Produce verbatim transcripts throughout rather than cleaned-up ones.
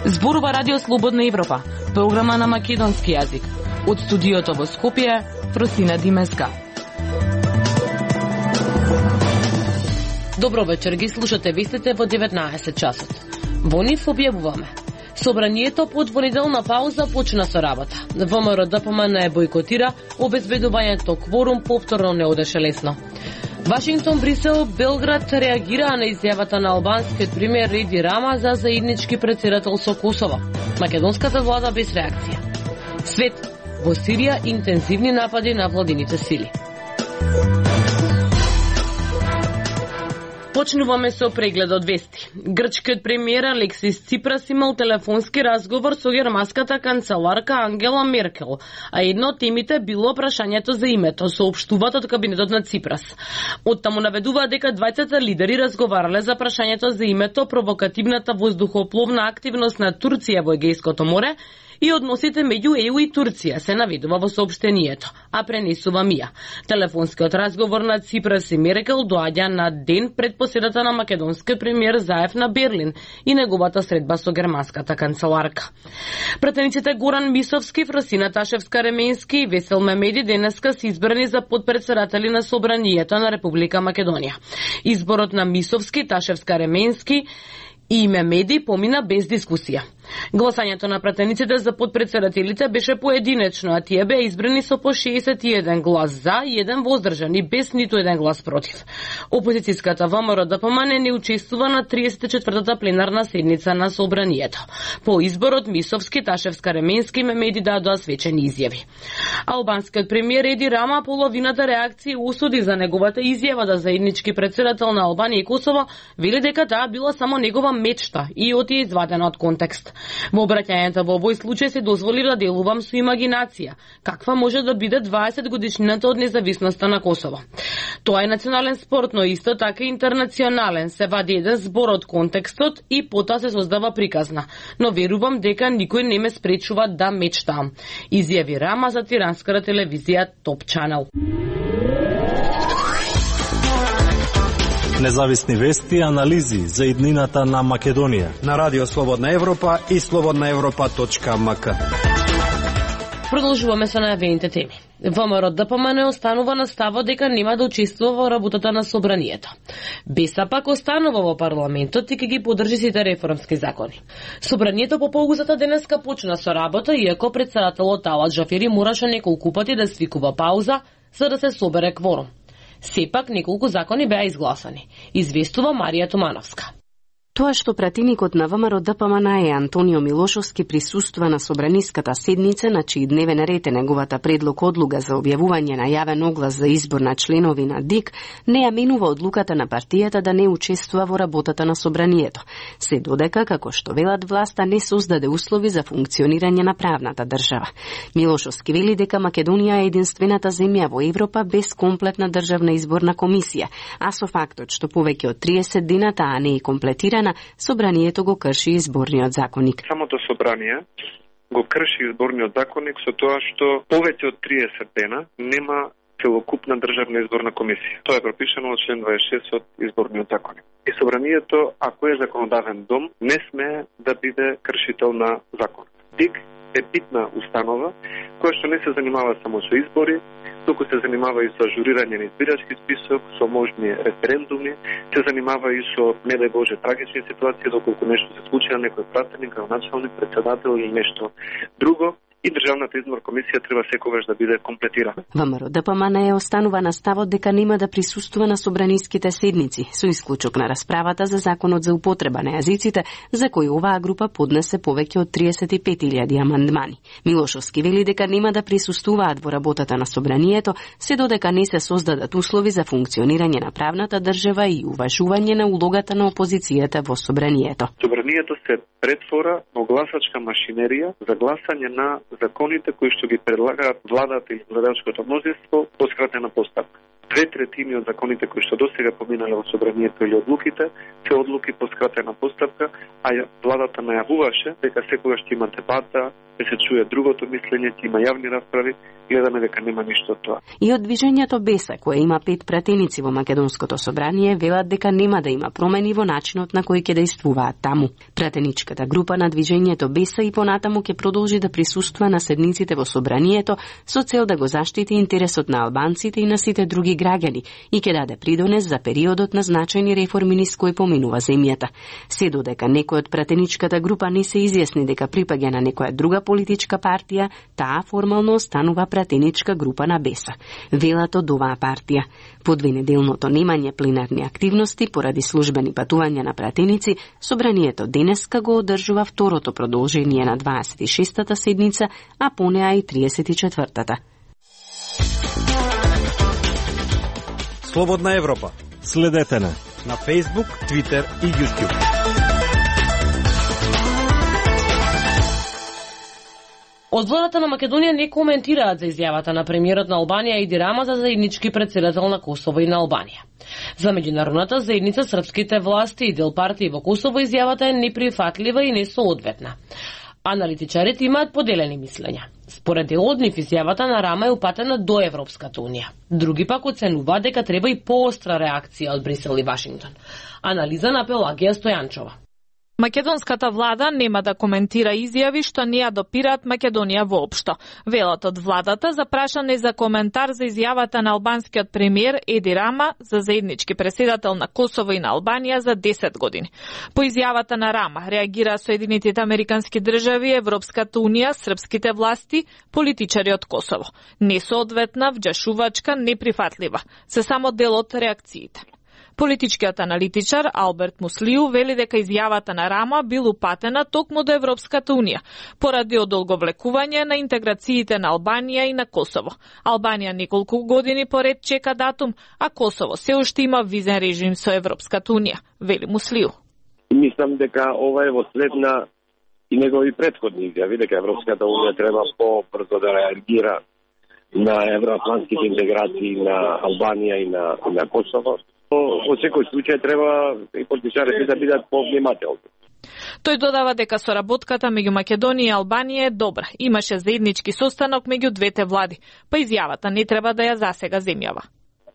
Зборува Радио Слободна Европа, програма на македонски јазик. Од студиото во Скопје, Фросина Димеска. Добро вечер, ги слушате вестите во деветнаесет часот. Во нив објавуваме. Собранието по двонеделна пауза почна со работа. ВМРО-ДПМН бојкотира, обезбедувањето кворум повторно не одеше лесно. Вашингтон, Брисел, Белград реагираа на изјавата на албанскиот премиер Еди Рама за заеднички претседател со Косово. Македонската влада без реакција. Свет во Сирија интензивни напади на владините сили. Почнуваме со преглед од вести. Грчкиот премиер Алексис Ципрас имал телефонски разговор со германската канцеларка Ангела Меркел, а едно од темите било прашањето за името, соопштуваат од кабинетот на Ципрас. Оттаму наведуваа дека двајцата лидери разговарале за прашањето за името, провокативната воздухопловна активност на Турција во Егејското море и односите меѓу ЕУ и Турција, се наведува во соопштението, а пренесува МИА. Телефонскиот разговор на Ципрас и Меркел доаѓа на ден пред поседата на македонскиот премиер Заев на Берлин и неговата средба со германската канцеларка. Пратениците Горан Мисовски, Фросина Ташевска-Ременски и Весел Мемеди денеска се избрани за подпредседатели на Собранието на Република Македонија. Изборот на Мисовски, Ташевска-Ременски и Мемеди помина без дискусија. Гласањето на пратениците за подпредседателите беше поединечно, а тие беа избрани со по шеесет и еден глас за и еден воздржан и без ниту еден глас против. Опозицијската ВМРО-ДПМН не учествува на триесет и четвртата пленарна седница на Собранието. По изборот Мисовски, Ташевска-Ременски и Мемеди дадоа свечени изјави. Албанскиот премиер Еди Рама половината реакција осуди за неговата изјава да заеднички претседател на Албанија и Косово, вели дека таа била само негова мечта и оти е извадена од контекст. Во обраќањето во овој случај се дозволи да делувам со имагинација. Каква може да биде дваесет годишнината од независноста на Косово? Тоа е национален спорт, но исто така интернационален. Се вади еден збор од контекстот и потоа се создава приказна. Но верувам дека никој не ме спречува да мечтам. Изјави Рама за тиранската телевизија Топ Чанел. Независни вести и анализи за иднината на Македонија на Радио Слободна Европа и слободна европа точка ем ка. Продолжуваме со најавените теми. ВМРО-ДПМН останува на ставот дека нема да учествува во работата на Собранието. БЕСА останува во парламентот и ќе ги поддржи сите реформски закони. Собранието по паузата денеска почна со работа, иако претседателот Талат Джафери мораше неколку пати да свикува пауза за да се собере кворум. Сепак неколку закони беа изгласани, известува Марија Тумановска. Тоа што пратеникот на ВМРО-ДПМН е Антонио Милошовски присуства на собраниската седница, на чиј дневен ред е неговата предлог одлуга за објавување на јавен оглас за избор на членови на ДИК, не ја менува одлуката на партијата да не учествува во работата на собранието. Се додека, како што велат власта, не создаде услови за функционирање на правната држава. Милошовски вели дека Македонија е единствената земја во Европа без комплетна државна изборна комисија, а со фактот што повеќе од триесет дена таа не е комплетирана, собранието го крши изборниот законник. Самото собрание го крши изборниот законник со тоа што повеќе од триесет дена нема целокупна државна изборна комисија. Тоа е пропишано од член дваесет и шест од изборниот законник. И собранието, ако е законодавен дом, не смее да биде кршител на закон. ДИК е битна установа која што не се занимава само со избори, туку се занимава и со ажурирање на избирачки список, со можни референдуми, се занимава и со, не дај Боже, трагични ситуации, доколку нешто се случи на некој пратеник, началник, председател или нешто друго. И Државната изборна комисија треба секогаш да биде комплетирана. ВМРО-ДПМН е останува на ставот дека нема да присуствува на собраниските седници, со исклучок на расправата за законот за употреба на јазиците, за кој оваа група поднесе повеќе од триесет и пет илјади амандмани. Милошовски вели дека нема да присуствуваат во работата на собранието, се додека не се создадат услови за функционирање на правната држава и уважување на улогата на опозицијата во собранието. Собранието се претвора во гласачка машинерија за гласање на законите кои што ги предлагаат владата и владачкото мнозинство по скратена постапка. Две третини од законите кои што досега поминале во собранието или одлуките, се одлуки по скратена постапка, а владата најавуваше дека секогаш ќе има дебата, ќе се чуе другото мислење, ќе има јавни расправи, гледаме дека нема ништо од тоа. И од движењето Беса, кое има пет пратеници во Македонското собрание, велат дека нема да има промени во начинот на кој ќе действуваат таму. Пратеничката група на движењето Беса и понатаму ќе продолжи да присуства на седниците во собранието со цел да го заштити интересот на албанците и на сите други граѓани и ќе даде придонес за периодот на значајни реформи низ кој поминува земјата. Се додека некој од пратеничката група не се изјасни дека припаѓа на некоја друга политичка партија, таа формално останува пратеничка група на Беса. Велат од оваа партија. По двенеделното немање пленарни активности поради службени патувања на пратеници, собранието денеска го одржува второто продолжение на дваесет и шестата седница, а по неа и триесет и четвртата. Слободна Европа. Следете на на Facebook, Twitter и YouTube. Од владата на Македонија не коментираат за изјавата на премиерот на Албанија Еди Рама за заеднички претседател на Косово и на Албанија. За меѓународната заедница српските власти и дел партии во Косово изјавата е неприфатлива и несоодветна. Аналитичарите имаат поделени мислења. Според дел од нив изјавата на Рама е упатена до Европската унија. Други пак оценуваат дека треба и поостра реакција од Брисел и Вашингтон. Анализа на Пелагија Стојанчова. Македонската влада нема да коментира изјави што не ја допираат Македонија воопшто. Велат од владата запрашане за коментар за изјавата на албанскиот премиер Еди Рама за заеднички преседател на Косово и на Албанија за десет години. По изјавата на Рама реагираа Соединетите Американски држави, Европската унија, српските власти, политичари од Косово. Несоодветна, вџашувачка, неприфатлива. Се само дел од реакциите. Политичкиот аналитичар Алберт Муслиу вели дека изјавата на Рама бил упатена токму до Европската унија, поради одолговлекување на интеграциите на Албанија и на Косово. Албанија неколку години поред чека датум, а Косово се уште има визен режим со Европската унија, вели Муслиу. Мислам дека ова е во след на и негови претходни изјави, дека Европската унија треба побрзо да реагира на евроатлантските интеграции на Албанија и на, и на Косово. Во секој случај треба и политичарите да бидат повнимателни. Тој додава дека соработката меѓу Македонија и Албанија е добра. Имаше заеднички состанок меѓу двете влади, па изјавата не треба да ја засега земјава.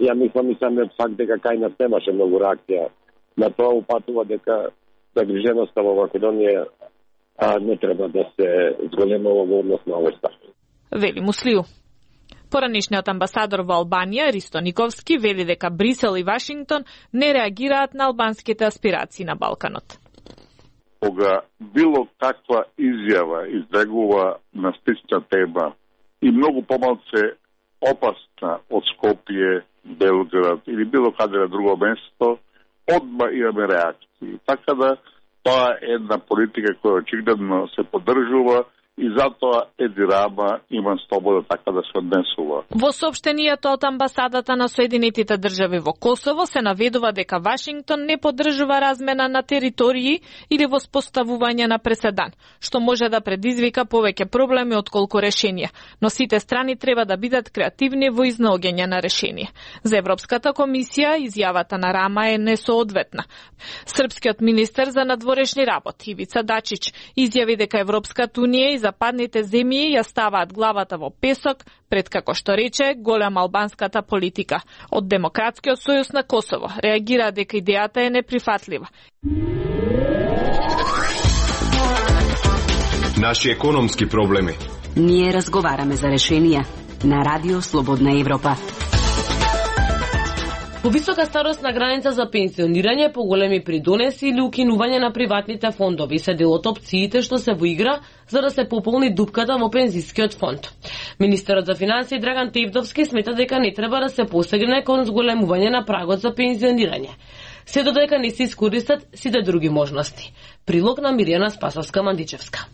Ја мислам и самиот факт дека кај нас немаше многу реакција на тоа упатува дека загриженоста во Македонија а, не треба да се зголемува во однос на овој став. Вели Муслиу. Поранишниот амбасадор во Албанија, Ристо Никовски, вели дека Брисел и Вашингтон не реагираат на албанските аспирации на Балканот. Кога било каква изјава излегува на слична тема и многу помалце опасна од Скопје, Белград или било каде на друго место, одма имаме реакции. Така да тоа е една политика која очигледно се поддржува и затоа Еди Рама има слобода така да се однесува. Во соопштенијето од амбасадата на Соединетите држави во Косово се наведува дека Вашингтон не поддржува размена на територии или воспоставување на преседан, што може да предизвика повеќе проблеми отколку решенија, но сите страни треба да бидат креативни во изнаоѓање на решение. За Европската комисија изјавата на Рама е несоодветна. Српскиот министер за надворешни работи Ивица Дачич изјави дека Европската унија и западните земји ја ставаат главата во песок пред, како што рече, голема албанската политика. Од Демократскиот сојуз на Косово реагира дека идејата е неприфатлива. Наши економски проблеми. Ние разговараме за решенија на Радио Слободна Европа. Повисока старосна граница за пенсионирање, поголеми придонеси или укинување на приватните фондови се дел од опциите што се во игра за да се пополни дупката во пензискиот фонд. Министерот за финансии Драган Тевдовски смета дека не треба да се посегне кон зголемување на прагот за пензионирање, се додека не се искористат сите други можности. Прилог на Миријана Спасовска-Мандичевска.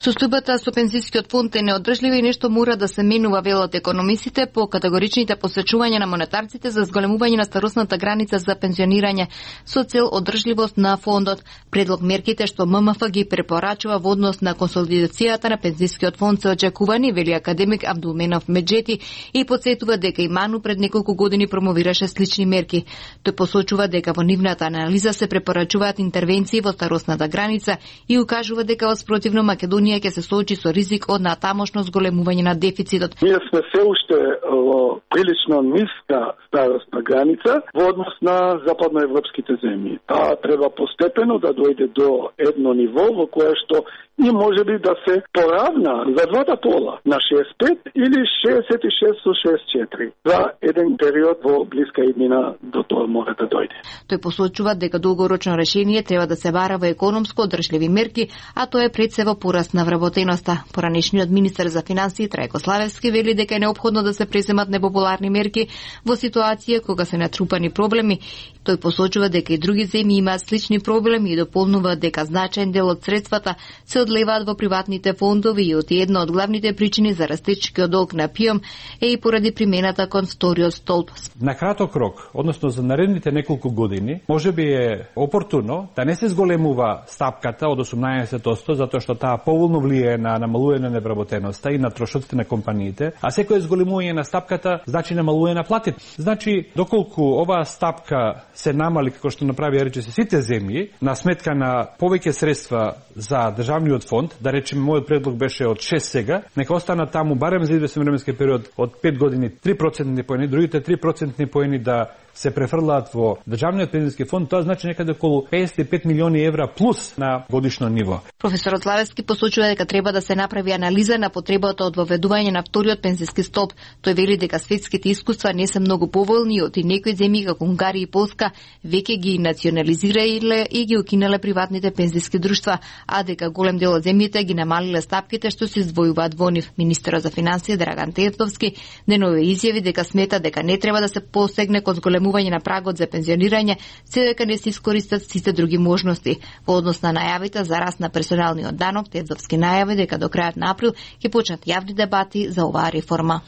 Состојбата со пензискиот фонд е неодржлива и нешто мора да се менува, велат економисите, по категоричните посечувања на монетарците за зголемување на старосната граница за пензионирање со цел одржливост на фондот. Предлог мерките што М М Ф ги препорачува во однос на консолидацијата на пензискиот фонд се очекувани, вели академик Абдулменов Меджети, и потсетува дека и Ману пред неколку години промовираше слични мерки. Тој посочува дека во нивната анализа се препорачуваат интервенции во старосната граница и укажува дека во спротивно Македонија ќе се соочи со ризик од натамошно зголемување на дефицитот. Ние сме се уште во прилично ниска старосна граница во однос на западноевропските земји. Таа треба постепено да дојде до едно ниво во кое што и може би да се поравна за двата пола на шеесет и пет или шеесет и шест со шеесет и четири. За еден период во блиска иднина до тоа мора да дојде. Тој посочува дека долгорочно решение треба да се бара во економско одржливи мерки, а тоа е пред се во пораст на вработеноста. Поранешниот министер за финансии Трајко Славевски вели дека е неопходно да се преземат непопуларни мерки во ситуација кога се натрупани проблеми. Тој посочува дека и други земји имаат слични проблеми и дополнува дека значаен дел од средствата се одлеваат во приватните фондови и од една од главните причини за растечкиот долг на ПИОМ е и поради примената кон вториот столб. На краток рок, односно за наредните неколку години, може би е опортуно да не се зголемува стапката од осумнаесет одсто, затоа што таа поволно влијае на намалување на невработеноста и на трошоците на компаниите, а секој зголемување на стапката значи намалување на платите. Значи, доколку оваа стапка се намали, како што направи рече се сите земји, на сметка на повеќе средства за државниот фонд, да речеме мојот предлог беше од шест сега, нека остана таму барем за известен временски период од пет години три процентни поени, другите три процентни поени да се префрлаат во државниот пензиски фонд, тоа значи некаде околу песет и пет милиони евра плюс на годишно ниво. Професорот Славевски посочува дека треба да се направи анализа на потребата од воведување на вториот пензиски столб. Тој вели дека светските искуства не се многу поволни од и некои земји како Унгарија и Полска веќе ги национализирале и ги укинале приватните пензиски друштва, а дека голем дел од земјите ги намалиле стапките што се издвојуваат во нив. Министерот за финансии Драган Тетовски денове изјави дека смета дека не треба да се посегне кон зголемување на прагот за пензионирање, се дека не се искористат сите други можности. Во однос на најавите за раст на персоналниот данок, Тетовски најави дека до крајот на април ќе почнат јавни дебати за оваа реформа.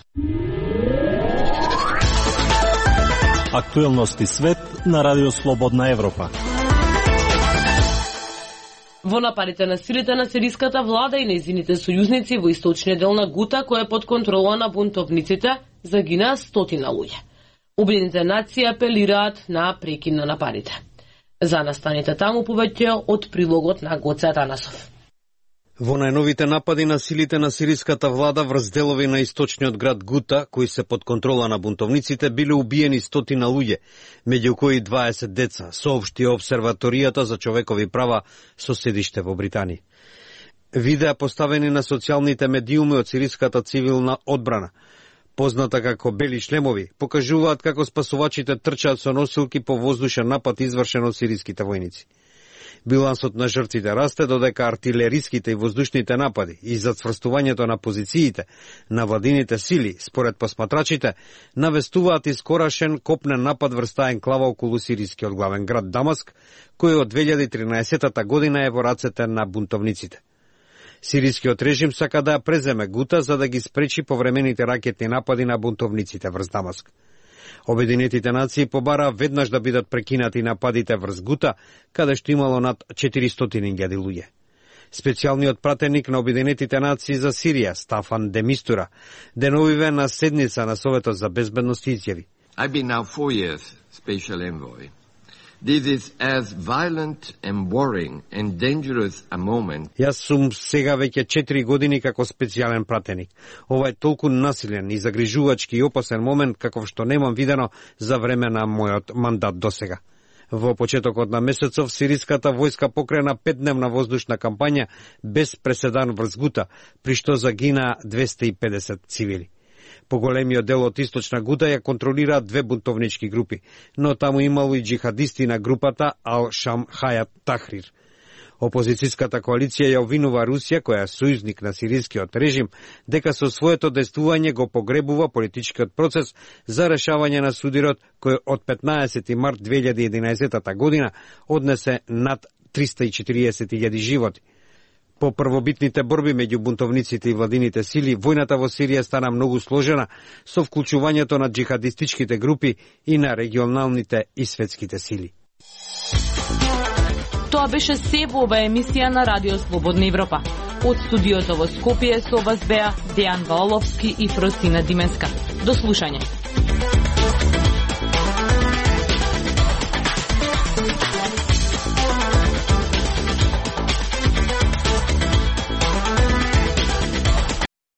Актуелности свет на Радио Слободна Европа. Во нападите на силите на сириската влада и нејзините сојузници во источниот дел на Гута, која е под контрола на бунтовниците, загинаа стотина луѓе. Обединените нации апелираат на прекин на нападите. За настаните таму повеќе од прилогот на Гоце Атанасов. Во најновите напади на силите на сириската влада врз делови на источниот град Гута, кои се под контрола на бунтовниците, биле убиени стотина луѓе, меѓу кои дваесет деца, соопшти Обсерваторијата за човекови права со седиште во Британија. Видеа поставени на социјалните медиуми од сириската цивилна одбрана, позната како бели шлемови, покажуваат како спасувачите трчаат со носилки по воздушен напад извршен од сириските војници. Билансот на жртвите расте додека артилериските и воздушните напади и зацврстувањето на позициите на владините сили, според посматрачите, навестуваат искорашен копнен напад врз таа енклава околу сирискиот главен град Дамаск, кој од две илјади и тринаесета година е во рацете на бунтовниците. Сирискиот режим сака да ја преземе Гута за да ги спречи повремените ракетни напади на бунтовниците врз Дамаск. Обединетите нации побараа веднаш да бидат прекинати нападите врз Гута, каде што имало над четиристотини илјади луѓе. Специјалниот пратеник на Обединетите нации за Сирија, Стафан де Мистура, деновиве на седница на Советот за безбедност изјави. I've been now four years special envoy. This is as violent and worrying and dangerous a moment. Јас сум сега веќе четири години како специјален пратеник. Ова е толку насилен и загрижувачки и опасен момент како што немам видено за време на мојот мандат досега. Во почетокот на месецов сириската војска покрена петдневна воздушна кампања без преседан врз Гута, при што загинаа двесте и педесет цивили. Поголемиот дел од источна Гута ја контролираат две бунтовнички групи, но таму имало и джихадисти на групата Ал-Шам Хајат Тахрир. Опозицијската коалиција ја обвинува Русија, која е сојузник на сирискиот режим, дека со своето действување го погребува политичкиот процес за решавање на судирот кој од петнаесети март две илјади и единаесета година однесе над триста и четириесет илјади животи. По првобитните борби меѓу бунтовниците и владините сили, војната во Сирија стана многу сложена со вклучувањето на джихадистичките групи и на регионалните и светските сили. Тоа беше се во ова емисија на Радио Слободна Европа. Од студиото во Скопје со вас беа Дејан Ваоловски и Фросина Дименска. До слушање.